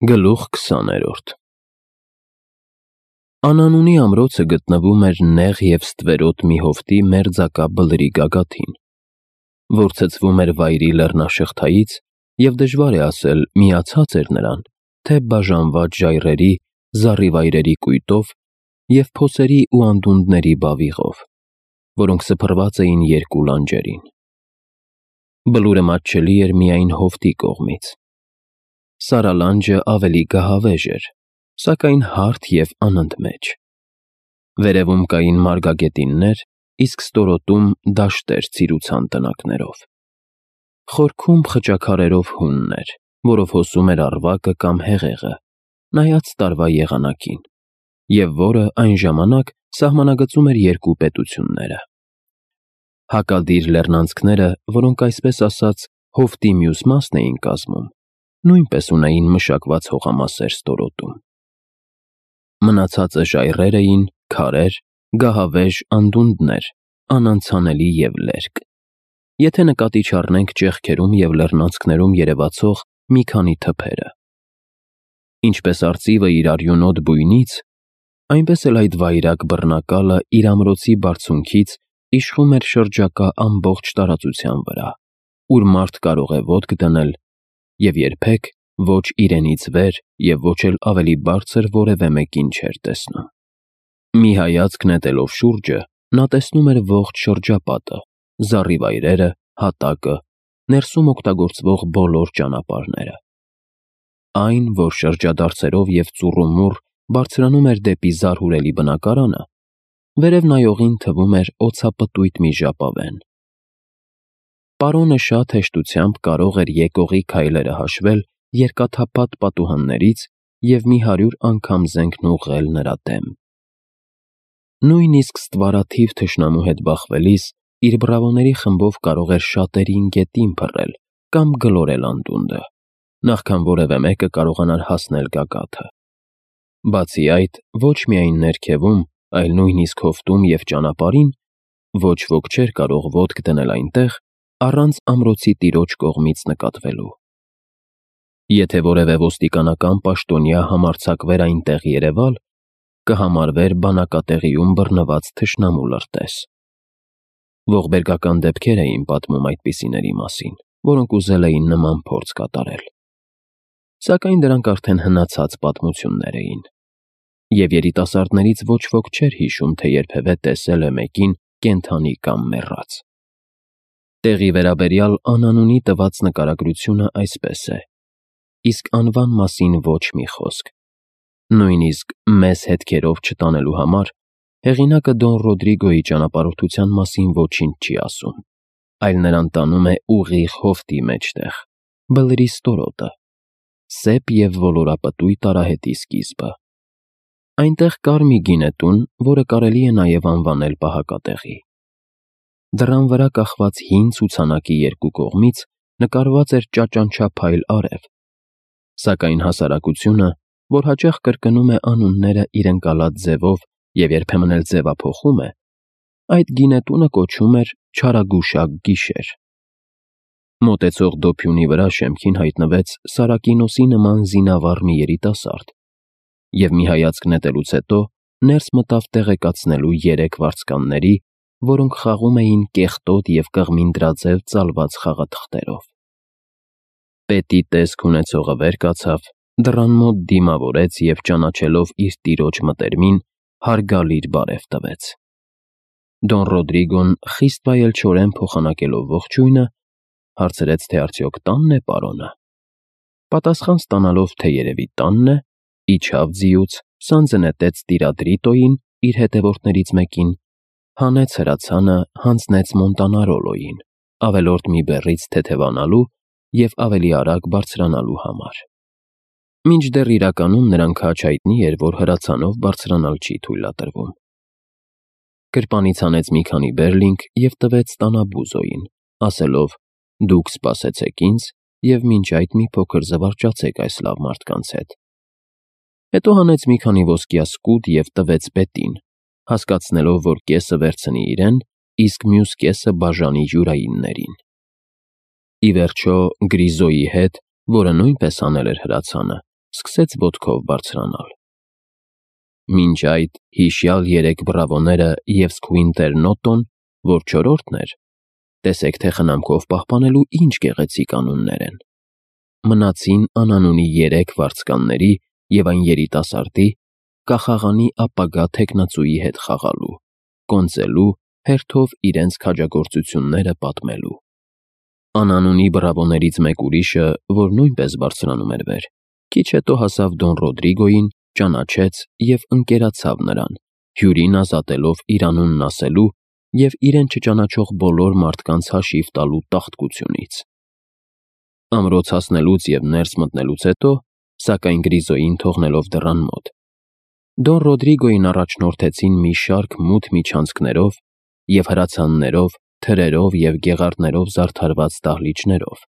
Գլուխ 20-րդ Անանունի ամրոցը գտնվում էր նեղ և ստվերոտ մի հովտի մերձակա բլրի գագաթին, որ ցցվում էր վայրի լեռնաշղթայից և դժվար է ասել միացած էր նրան, թե բաժանված ժայռերի, զառիվայրերի կույտով և փոսերի ու անդունդների բավիղով, որոնք սփռված էին երկու լանջերին։ Բլուրը մատչելի էր միայն հովտի կողմից։ Սարալանջը ավելի գահավեժ էր, սակայն հարթ և անընդմեջ։ Վերևում կային մարգագետիններ, իսկ ստորոտում դաշտեր ծիրուցան տնակներով։ Խորքում խճաքարերով հունն էր, որով հոսում էր առվակը կամ հեղեղը, նայած տարվա եղանակին, և որը այն ժամանակ սահմանագծում էր երկու պետությունները։ Հակադիր լեռնանցքները, որոնք այսպես ասած հովտի մյուս մասն էին կազմում, նույնպես ունեին մշակված հողամասեր ստորոտում։ Մնացածը ժայռեր էին, քարեր, գահավեժ անդունդներ, անանցանելի և լերկ, եթե նկատի չառնենք ճեղքերում և լեռնանցքներում երևացող մի քանի թփերը։ Ինչպես արծիվը իր արյունոտ բույնից, այնպես էլ այդ վայրագ բռնակալը իր ամրոցի բարձունքից իշխում էր շրջակա ամբողջ տարածության վրա, ուր մարդ կարող է ոտք դնել և երբեք ոչ իրենից վեր և ոչ էլ ավելի բարձր որևէ մեկին չէր տեսնում։ Մի հայացք նետելով շուրջը, նա տեսնում էր ողջ շրջապատը, զառիվայրերը, հատակը, ներսում օգտագործվող բոլոր ճանապարհները։ Այն, որ շրջադարձերով և ծուռումուռ բարձրանում էր դեպի զարհուրելի բնակարանը, վերև նայողին թվում էր օձապտույտ մի ժապավեն։ Պարոնը շատ հեշտությամբ կարող էր եկողի քայլերը հաշվել երկաթափատ պատուհաններից և մի 100 անգամ զենքն ուղղել նրա դեմ։ Նույնիսկ ստվարաթիվ թշնամու հետ բախվելիս իր բռավոների խմբով կարող էր շատերին գետին փռել կամ գլորել անդունդը, նախքան որևէ մեկը կարողանար հասնել գագաթը։ Բացի այդ, ոչ միայն ներքևում, այլ նույնիսկ հովտում և ճանապարհին ոչ ոք չէր կարող ոտք դնել այնտեղ, առանց ամրոցի տիրոջ կողմից նկատվելու։ Եթե որևէ ոստիկանական պաշտոնյա համարձակվեր այնտեղ երևալ, կհամարվեր բանակատեղիում բռնված թշնամու լրտես։ Ողբերգական դեպքեր էին պատմում այդպիսիների մասին, որոնք ուզել էին նման փորձ կատարել։ Սակայն դրանք արդեն հնացած պատմություններ էին, և երիտասարդներից ոչ ոք չէր հիշում, թե երբևէ տեսել է մեկին կենդանի կամ մեռած։ Տեղի վերաբերյալ անանունի տված նկարագրությունը այսպես է, իսկ անվան մասին ոչ մի խոսք։ Նույնիսկ մեզ հետքերով չտանելու համար հեղինակը Դոն Ռոդրիգոյի ճանապարհորդության մասին ոչինչ չի ասում, այլ նրան տանում է ուղիղ հովտի մեջտեղ, բլրի ստորոտը, սեպ և ոլորապտույտ արահետի սկիզբը։ Այնտեղ կար մի գինետուն, որը կարելի է նաև անվանել պահակատեղի։ Դռան վրա կախված հին ցուցանակի երկու կողմից նկարված էր ճաճանչափայլ արև, սակայն հասարակությունը, որ հաճախ կրկնում է անունները իր ընկալած ձևով և երբեմն էլ ձևափոխում է, այդ գինետունը կոչում էր «Չարագուշակ գիշեր»։ Մոտեցող դոփյունի վրա շեմքին հայտնվեց Սարակինոսի նման զինավառ մի երիտասարդ, և մի հայացք նետելուց հետո ներս մտավ տեղեկացնելու 3 վարձկանների, որոնք խաղում էին կեղտոտ և կղմինդրաձև ծալված խաղաթղթերով։ Պետի տեսք ունեցողը վեր կացավ, դռան մոտ դիմավորեց և ճանաչելով իր տիրոջ մտերմին, հարգալից բարև տվեց։ Դոն Ռոդրիգոն խիստ վայելչորեն փոխանակելով ողջույնը, հարցրեց, թե արդյոք տանն է պարոնը։ Պատասխան ստանալով, թե երևի տանն է, իջավ ձիուց, սանձը նետեց տիրադրիտոյին, իր հետևորդներից մեկին, հանեց հրացանը, հանձնեց Մոնտանարոլոյին, ավելորդ մի բեռից թեթևանալու և ավելի արագ բարձրանալու համար։ Մինչդեռ իրականում նրան քաջ հայտնի էր, որ հրացանով բարձրանալ չի թույլատրվում։ Գրպանից հանեց մի քանի բերլինգ և տվեց տանաբուզոյին, ասելով. «Դուք սպասեցեք ինձ և մինչ այդ մի փոքր զվարճացեք այս լավ մարդկանց հետ»։ Հետո հանեց մի քանի ոսկյա սկուտ և տվեց պետին, հասկացնելով, որ կեսը վերցնի իրեն, իսկ մյուս կեսը բաժանի յուրայիններին։ Ի վերջո, Գրիզոյի հետ, որը նույնպես հանել էր հրացանը, սկսեց ոտքով բարձրանալ։ Մինչ այդ հիշյալ 3 բրավոները և Սքվինտեր Նոտոն, որ 4-րդն էր, տեսեք թե խնամքով պահպանելու ինչ գեղեցիկ անուններ են, մնացին անանունի 3 վարձկանների և այն երիտասարդի կախաղանի ապագա թեկնածուի հետ խաղալու, կոնծելու, հերթով իրենց քաջագործությունները պատմելու։ Անանունի բրավոներից մեկ ուրիշը, որ նույնպես բարձրանում էր վեր, քիչ հետո հասավ Դոն Ռոդրիգոյին, ճանաչեց և ընկերացավ նրան, հյուրին ազատելով իր անունն ասելու և իրեն չճանաչող բոլոր մարդկանց հաշիվ տալու տաղտկությունից։ Ամրոց հասնելուց և ներս մտնելուց հետո, սակայն Գրիզոյին թողնելով դռան մոտ, Դոն Ռոդրիգոյին առաջնորդեցին մի շարք մութ միջանցքներով և հրացաններով, թրերով և գեղարդներով զարդարված դահլիճներով,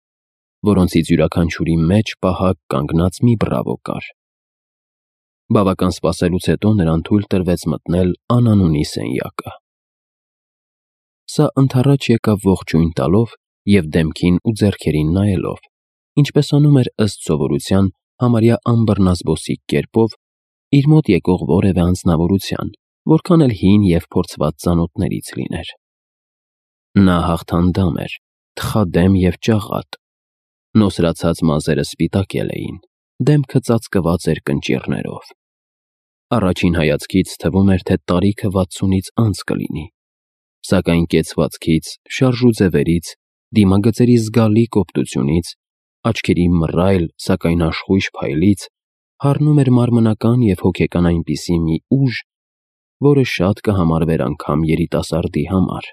որոնցից յուրաքանչյուրի մեջ պահակ կանգնած մի բրավո կար։ Բավական սպասելուց հետո նրան թույլ տրվեց մտնել անանունի սենյակը։ Սա ընդառաջ եկավ ողջույն տալով և դեմքին ու ձեռքերին նայելով, ինչպես անում էր ըստ սովորության համարյա անբռնազբոսիկ կերպով իր մոտ եկող որևէ անձնավորության, որքան էլ հին և փորձված ծանոթներից լիներ։ Նա հաղթանդամ էր, թխադեմ և ճաղատ, նոսրացած մազերը սպիտակել էին, դեմքը ծածկված էր կնճիռներով։ Առաջին հայացքից թվում էր, թե տարիքը 60-ից անց կլինի, սակայն կեցվածքից, շարժուձևերից, դիմագծերի զգալի կոպտությունից, աչքերի մռայլ, սակայն աշխույժ փայլից հառնում էր մարմնական և հոգեկան այնպիսի մի ուժ, որը շատ կհամարվեր անգամ երիտասարդի համար։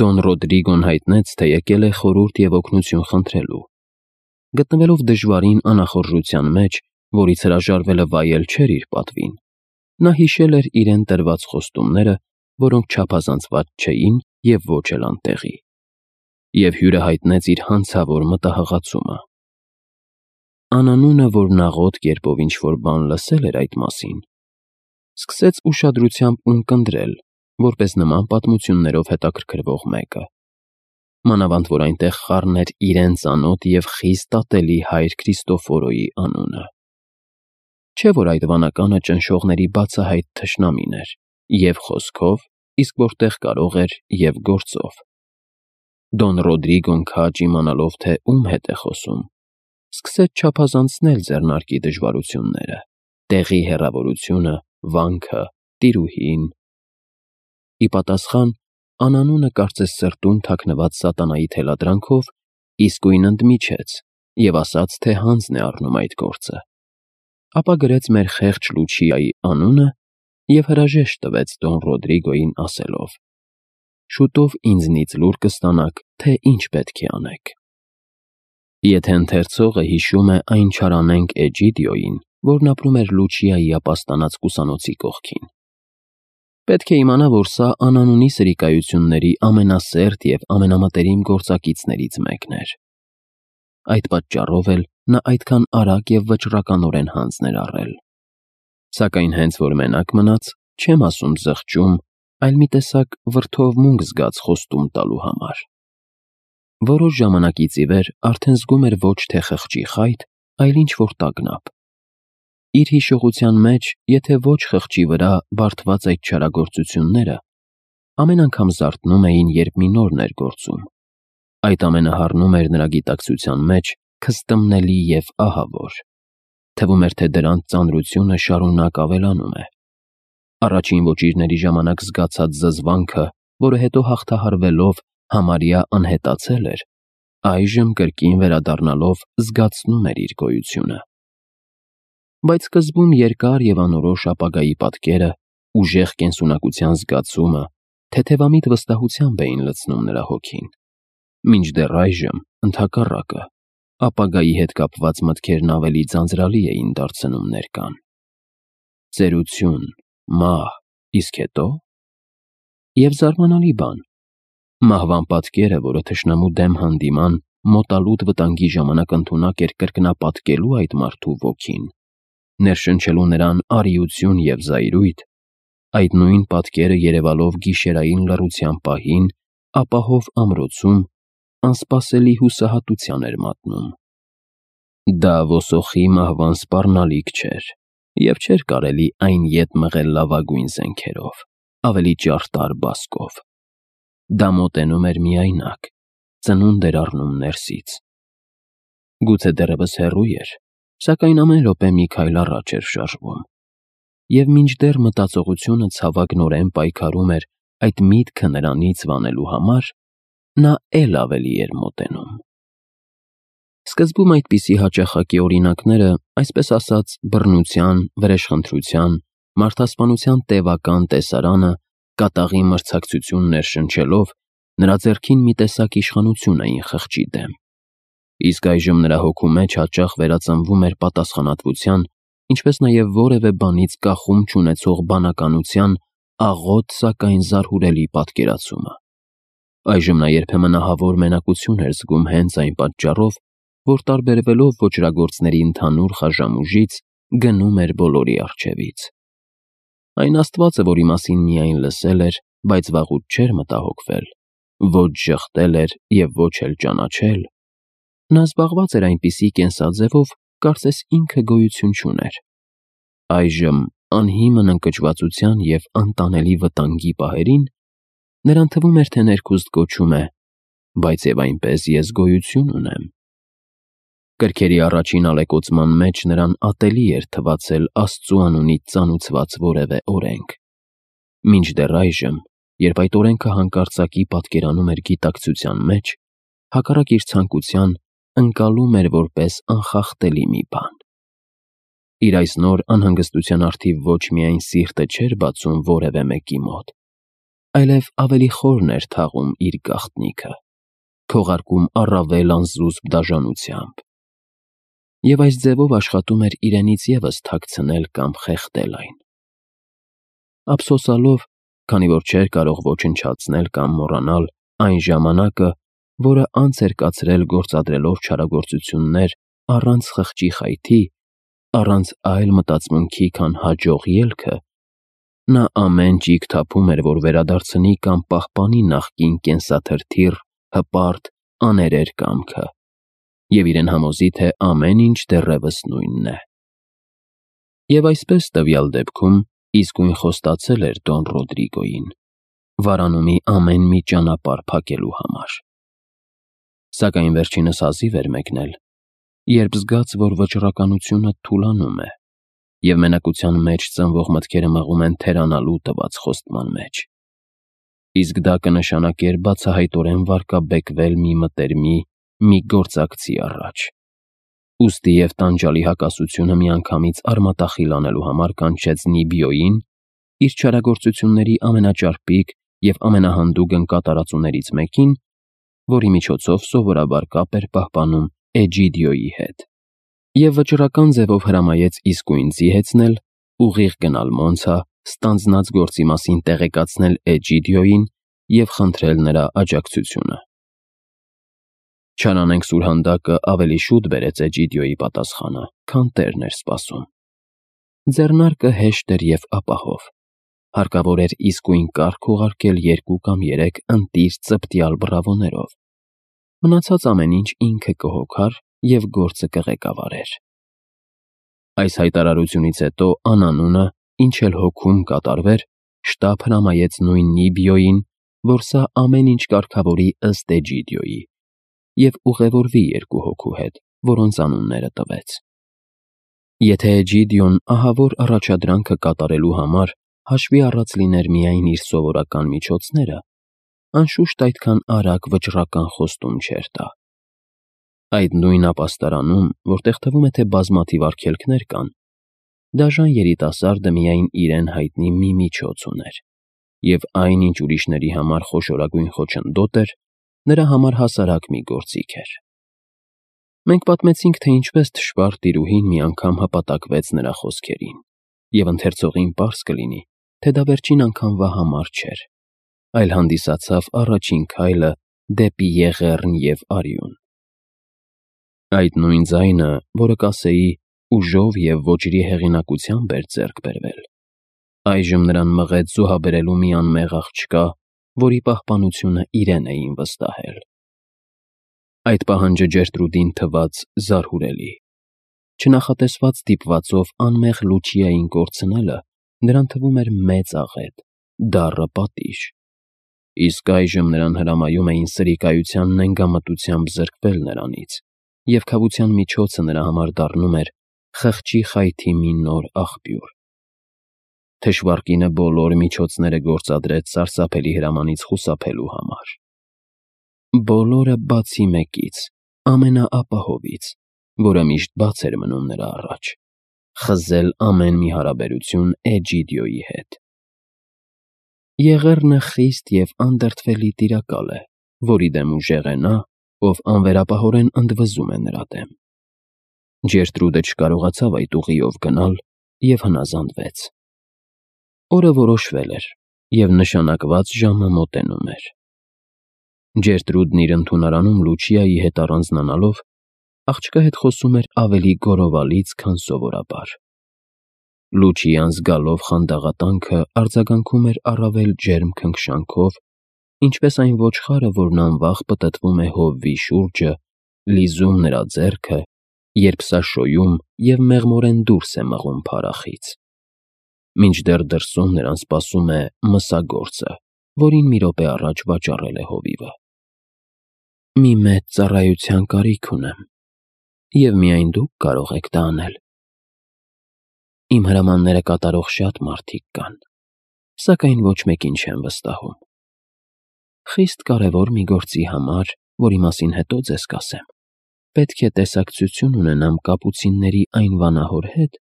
Դոն Ռոդրիգոն հայտնեց, թե եկել է խորհուրդ և օգնություն խնդրելու։ Գտնվելով դժվարին անախորժության մեջ, որից հրաժարվելը վայել չէր իր պատվին, նա հիշել էր իրեն տրված խոստումները, որոնք չափազանցված չէին և ոչ էլ անտեղի, և հյուրը հայտնեց իր հանցավոր մտահղացումը։ Անանունը, որն աղոտ կերպով ինչ-որ բան լսել էր այդ մասին, սկսեց ուշադրությամբ ունկնդրել, որպես նման պատմություններով հետաքրքրվող մեկը, մանավանդ որ այնտեղ խառն էր իրեն ծանոթ և խիստ ատելի հայր Քրիստոֆորոյի անունը։ Չէ՞ որ այդ վանականը ճնշողների բացահայտ թշնամին էր և խոսքով, իսկ որտեղ կարող էր և գործով։ Դոն Ռոդրիգոն քաջ իմանալով, թե ում հետ է խոսում, սկսեց չափազանցնել ձեռնարկի դժվարությունները, տեղի հեռավորությունը, վանքը, տիրուհին։ Ի պատասխան, անանունը կարծես սրտում թաքնված սատանայի թելադրանքով իսկույն ընդմիջեց և ասաց, թե հանձն է առնում այդ գործը, ապա գրեց մեր խեղճ Լուչիայի անունը և հրաժեշտ տվեց Դոն Ռոդրիգոյին ասելով. «Շուտով ինձնից լուր կստանաք, թե ինչ պետք է անեք»։ Եթե ընթերցողը հիշում է այն չարանենգ Էջիդիոյին, որն ապրում էր Լուչիայի ապաստանած կուսանոցի կողքին, պետք է իմանա, որ սա անանունի սրիկայությունների ամենասերտ և ամենամտերիմ գործակիցներից մեկն էր։ Այդ պատճառով էլ նա այդքան արագ և վճռականորեն հանձն էր առել։ Սակայն հենց որ մենակ մնաց, չեմ ասում զղջում, այլ մի տեսակ վրդովմունք զգաց խոստում տալու համար։ Որոշ ժամանակից ի վեր արդեն զգում էր ոչ թե խղճի խայտ, այլ ինչ-որ տագնապ։ Իր հիշողության մեջ, եթե ոչ խղճի վրա բարդված այդ չարագործությունները, ամեն անգամ զարթնում էին, երբ մի նորն էր գործում։ Այդ ամենը հառնում էր նրա գիտակցության մեջ քստմնելի և ահավոր։ Թվում էր, թե դրանց ծանրությունը շարունակ ավելանում է։ Առաջին ոճիրների ժամանակ զգացած զզվանքը, որը հետո հաղթահարվելով համարյա անհետացել էր, այժմ կրկին վերադառնալով զգացնում էր իր գոյությունը։ Բայց սկզբում երկար և անորոշ ապագայի պատկերը, ուժեղ կենսունակության զգացումը, թեթևամիտ վստահությամբ էին լցնում նրա հոգին, մինչդեռ այժմ, ընդհակառակը, ապագայի հետ կապված մտքերն ավելի ձանձրալի էին դարձնում ներկան։ Ծերություն, մահ, իսկ հետո՞։ Եվ զարմանալի բան, մահվան պատկերը, որը թշնամու դեմ հանդիման, մոտալուտ վտանգի ժամանակ ընդունակ էր կրկնապատկելու այդ մարդու ոգին, ներշնչելու նրան արիություն և զայրույթ, այդ նույն պատկերը երևալով գիշերային լռության պահին, ապահով ամրոցում, անսպասելի հուսահատության էր մատնում։ Դա ոսոխի մահվան սպառնալիք չէր, և չէր կարելի այն ետ մղել լավագույն զենքերով, ավելի ճարտար բասկով։ Դա մոտենում էր միայնակ, ծնունդ էր առնում ներսից։ Գուցե դեռևս հեռու էր, սակայն ամեն րոպե մի քայլ առաջ էր շարժվում։ Եվ մինչդեռ մտածողությունը ցավագնորեն պայքարում էր այդ միտքը նրանից վանելու համար, նա էլ ավելի էր մոտենում։ Սկզբում այդպիսի հաճախակի օրինակները, այսպես ասած, բռնության, վրեժխնդրության, մարդասպանության տևական տեսարանը կատաղի մրցակցություն ներշնչելով նրա ձեռքին մի տեսակ իշխանություն էին խղճի դեմ։ Իսկ այժմ նրա հոգու մեջ հաճախ վերածնվում էր պատասխանատվության, ինչպես նաև որևէ բանից կախում չունեցող բանականության աղոտ, սակայն զարհուրելի պատկերացումը։ Այժմ նա երբեմն ահավոր մենակություն էր զգում հենց այն պատճառով, որ տարբերվելով ոճրագործների ընդհանուր խաժամուժից, գնում էր բոլորի առջևից։ Այն Աստվածը, որի մասին միայն լսել էր, բայց վաղուց չէր մտահոգվել, ոչ ժխտել էր և ոչ էլ ճանաչել, նա զբաղված էր այնպիսի կենսաձևով, կարծես ինքը գոյություն չուներ։ Այժմ, անհիմն ընկճվածության և անտանելի վտանգի պահերին, նրան թվում էր, թե ներքուստ կոչում է. «Բայց և այնպես ես գոյություն ունեմ»։ Կրքերի առաջին ալեկոծման մեջ նրան ատելի էր թվացել Աստծու անունից ծանուցված որևէ օրենք։ Մինչդեռ այժմ, երբ այդ օրենքը հանկարծակի պատկերանում էր գիտակցության մեջ, հակառակ իր ցանկության, ընկալում էր որպես անխախտելի մի բան։ Իր այս նոր անհանգստության առթիվ ոչ միայն սիրտը չէր բացում որևէ մեկի մոտ, այլև ավելի խորն էր թաղում իր գաղտնիքը, քողարկում առավել անզուսպ դաժանությամբ։ Եվ այս ձևով աշխատում էր իրենից ևս թաքցնել կամ խեղդել այն։ Ափսոսալով, քանի որ չէր կարող ոչնչացնել կամ մոռանալ այն ժամանակը, որը անց էր կացրել գործադրելով չարագործություններ առանց խղճի խայթի, առանց այլ մտածմունքի, քան հաջող ելքը, նա ամեն ճիգ թափում էր, որ վերադարձնի կամ պահպանի նախկին կենսաթրթիռ, հպարտ, աներեր կամքը, և իրեն համոզի, թե ամեն ինչ դեռևս նույնն է։ Եվ այսպես տվյալ դեպքում իսկույն խոստացել էր Դոն Ռոդրիգոյին, վարանումի ամեն մի ճանապարհ փակելու համար։ Սակայն վերջինս հազիվ էր մեկնել, երբ զգաց, որ վճռականությունը թուլանում է, և մենակության մեջ ծնվող մտքերը մղում են թերանալու տված խոստման մեջ։ Իսկ դա կնշանակեր բացահայտորեն վարկաբեկվել մի մտերմի, մի գործակցի առաջ։ Ուստի և տանջալի հակասությունը միանգամից արմատախիլ անելու համար կանչեց Նիբիոյին, իր չարագործությունների ամենաճարպիկ և ամենահանդուգն կատարածուներից մեկին, որի միջոցով սովորաբար կապ էր պահպանում Էջիդիոյի հետ, և վճռական ձևով հրամայեց իսկույն զիհեցնել, ուղիղ գնալ Մոնցա, ստանձնած գործի մասին տեղեկացնել Էջիդիոյին և խնդրել նրա աջակցությունը։ Չարանենգ սուրհանդակը ավելի շուտ բերեց Էջիդիոյի պատասխանը, քան տերն էր սպասում։ Ձեռնարկը հեշտ էր և ապահով։ Հարկավոր էր իսկույն կարգ ուղարկել 2 կամ 3 ընտիր ծպտյալ բռավոներով։ Մնացած ամեն ինչ ինքը կհոգար և գործը կղեկավարեր։ Այս հայտարարությունից հետո անանունը, ինչ էլ հոգում կատարվեր, շտապ հրամայեց նույն Նիբիոյին, որ սա ամեն ինչ կարգավորի ըստ Էջիդիոյի և ուղևորվի 2 հոգու հետ, որոնց անունները տվեց։ Եթե Էջիդիոն ահավոր առաջադրանքը կատարելու համար հաշվի առած լիներ միայն իր սովորական միջոցները, անշուշտ այդքան արագ վճռական խոստում չէր տա։ Այդ նույն ապաստարանում, որտեղ թվում է, թե բազմաթիվ արգելքներ կան, դաժան երիտասարդը միայն իրեն հայտնի մի միջոց ուներ, և այն, ինչ ուրիշների համար խոշորագույն խոչընդոտ էր, նրա համար հասարակ մի գործիք էր։ Մենք պատմեցինք, թե ինչպես թշվառ տիրուհին մի անգամ հպատակվեց նրա խոսքերին, և ընթերցողին պարզ կլինի, թե դա վերջին անգամվա համար չէր, այլ հանդիսացավ առաջին քայլը դեպի Եղեռն և արյուն։ Այդ նույն ձայնը, որը, կասեի, ուժով և ոճրի հեղինակությամբ էր ձեռք բերվել, այժմ նրան մղեց զոհաբերելու մի անմեղ աղջկա, որի պահպանությունը իրեն էին վստահել։ Այդ պահանջը Ջերտրուդին թվաց զարհուրելի։ Չնախատեսված դիպվածով անմեղ Լուչիային կորցնելը նրան թվում էր մեծ աղետ, դառը պատիժ։ Իսկ այժմ նրան հրամայում էին սրիկայության նենգամտությամբ զրկվել նրանից, և քավության միջոցը նրա համար դառնում էր խղճի խայթի մի նոր աղբյուր։ Թշվառկինը բոլոր միջոցները գործադրեց սարսափելի հրամանից խուսափելու համար։ Բոլորը բացի մեկից, ամենաապահովից, որը միշտ բաց էր մնում նրա առաջ՝ խզել ամեն մի հարաբերություն Էջիդիոյի հետ։ Եղեռնը խիստ և անդրդվելի տիրակալ է, որի դեմ ուժեղ է նա, ով անվերապահորեն ընդվզում է նրա դեմ։ Ջերտրուդը չկարողացավ այդ ուղիով գնալ և հնազանդվեց։ Օրը որոշվել էր, և նշանակված ժամը մոտենում էր։ Ջերտրուդն իր ընդունարանում Լուչիայի հետ առանձնանալով, աղջկա հետ խոսում էր ավելի գոռովալից, քան սովորաբար։ Լուչիան զգալով խանդաղատանքը արձագանքում էր առավել ջերմ քնքշանքով, ինչպես այն ոչխարը, որն անվախ պտտվում է հովվի շուրջը, լիզում նրա ձեռքը, երբ սա շոյում և մեղմորեն դուրս է մղում փարախից։ Մինչդեռ դրսում նրան սպասում է մսագործը, որին մի րոպե առաջ վաճառել է հովիվը։ Մի մեծ ծառայության կարիք ունեմ, և միայն դուք կարող եք դա անել։ Իմ հրամանները կատարող շատ մարդիկ կան, սակայն ոչ մեկին չեմ վստահում։ Խիստ կարևոր մի գործի համար, որի մասին հետո ձեզ կասեմ, պետք է տեսակցություն ունենամ կապուցինների այն վանահոր հետ,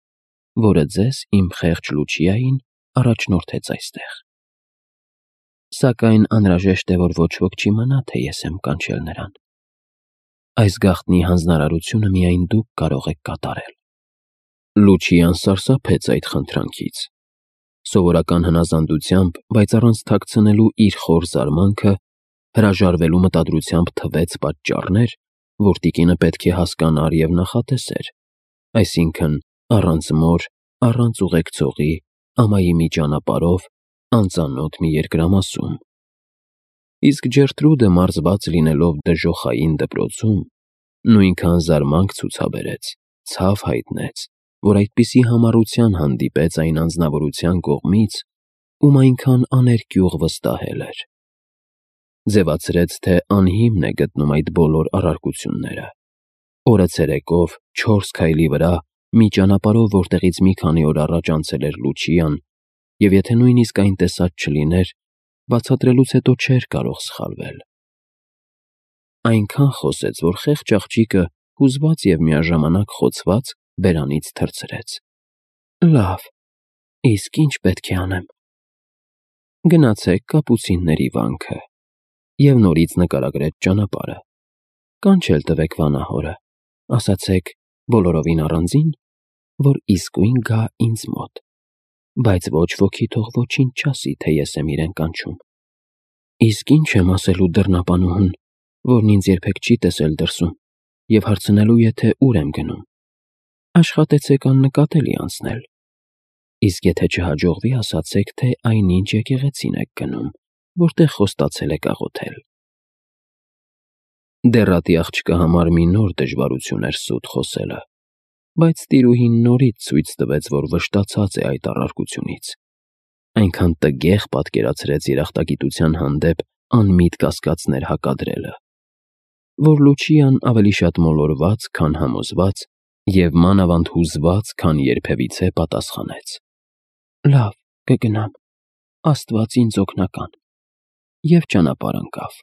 որը ձեզ, իմ խեղճ Լուչիային, առաջնորդեց այստեղ։ Սակայն անհրաժեշտ է, որ ոչ ոք չիմանա, թե ես եմ կանչել նրան։ Այս գաղտնի հանձնարարությունը միայն դուք կարող եք կատարել։ Լուչիան սարսափեց այդ խնդրանքից։ Սովորական հնազանդությամբ, բայց առանց թաքցնելու իր խոր զարմանքը, հրաժարվելու մտադրությամբ թվեց պատճառներ, որ տիկինը պետք է հասկանար և նախատեսեր, այսինքն առանց մոր, առանց ուղեկցողի, ամայի մի ճանապարհով, անծանոթ մի երկրամասում։ Իսկ Ջերտրուդը մարզված լինելով դժոխային դպրոցում, նույնքան զարմանք ցուցաբերեց, ցավ հայտնեց, որ այդպիսի համառության հանդիպեց այն անձնավորության կողմից, ում այնքան աներկյուղ վստահել էր։ Ձևացրեց, թե անհիմն է գտնում այդ բոլոր առարկությունները։ Օրը ցերեկով 4 քայլի վրա, մի ճանապարհով, որտեղից մի քանի օր առաջ անցել էր Լուչիան, և եթե նույնիսկ այն տեսած չլիներ, բացատրելուց հետո չէր կարող սխալվել։ Այնքան խոսեց, որ խեղճ աղջիկը, հուզված և միաժամանակ խոցված, բերանից թռցրեց։ Լավ, իսկ ի՞նչ պետք է անեմ։ Գնացեք կապուցինների վանքը և նորից նկարագրեց ճանապարհը։ Կանչել տվեք վանահորը, ասացեք բոլորովին առանձին, որ իսկույն գա ինձ մոտ, բայց ոչ ոքի թող ոչինչ չասի, թե ես եմ իրեն կանչում։ Իսկ ի՞նչ եմ ասելու դռնապանուհուն, որն ինձ երբեք չի տեսել դրսում, և հարցնելու է, թե ուր եմ գնում։ Աշխատեցեք աննկատելի անցնել։ Իսկ եթե չհաջողվի, ասացեք, թե այնինչ եկեղեցին եք գնում, որտեղ խոստացել եք աղոթել։ Դեռատի աղջկա համար մի նոր դժվարություն էր սուտ խոսելը, բայց տիրուհին նորից ցույց տվեց, որ վշտացած է այդ առարկությունից։ Այնքան տգեղ պատկերացրեց երախտագիտության հանդեպ անմիտ կասկածներ հակադրելը, որ Լուչիան ավելի շատ մոլորված, քան համոզված, և մանավանդ հուզված, քան երբևիցե պատասխանեց. Լավ, կգնամ, Աստված ինձ օգնական, և ճանապարհ ընկավ։